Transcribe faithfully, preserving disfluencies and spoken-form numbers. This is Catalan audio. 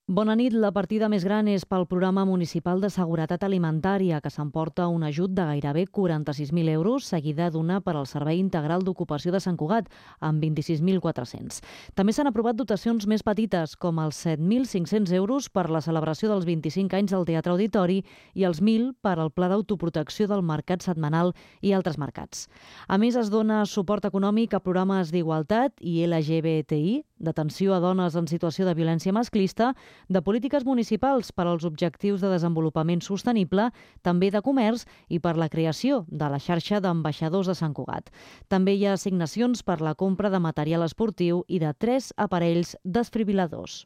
Bona nit. La partida més gran és pel Programa Municipal de Seguretat Alimentària, que s'emporta un ajut de gairebé quaranta-sis mil euros, seguida d'una per al Servei Integral d'Ocupació de Sant Cugat, amb vint-i-sis mil quatre-cents. També s'han aprovat dotacions més petites, com els set mil cinc-cents euros per la celebració dels vint-i-cinc anys del Teatre Auditori i els mil per al Pla d'Autoprotecció del Mercat Setmanal i altres mercats. A més, es dona suport econòmic a programes d'igualtat i L G B T I, d'atenció a dones en situació de violència masclista, de polítiques municipals per als objectius de desenvolupament sostenible, també de comerç i per la creació de la xarxa d'ambaixadors de Sant Cugat. També hi ha assignacions per la compra de material esportiu i de tres aparells desfibril·ladors.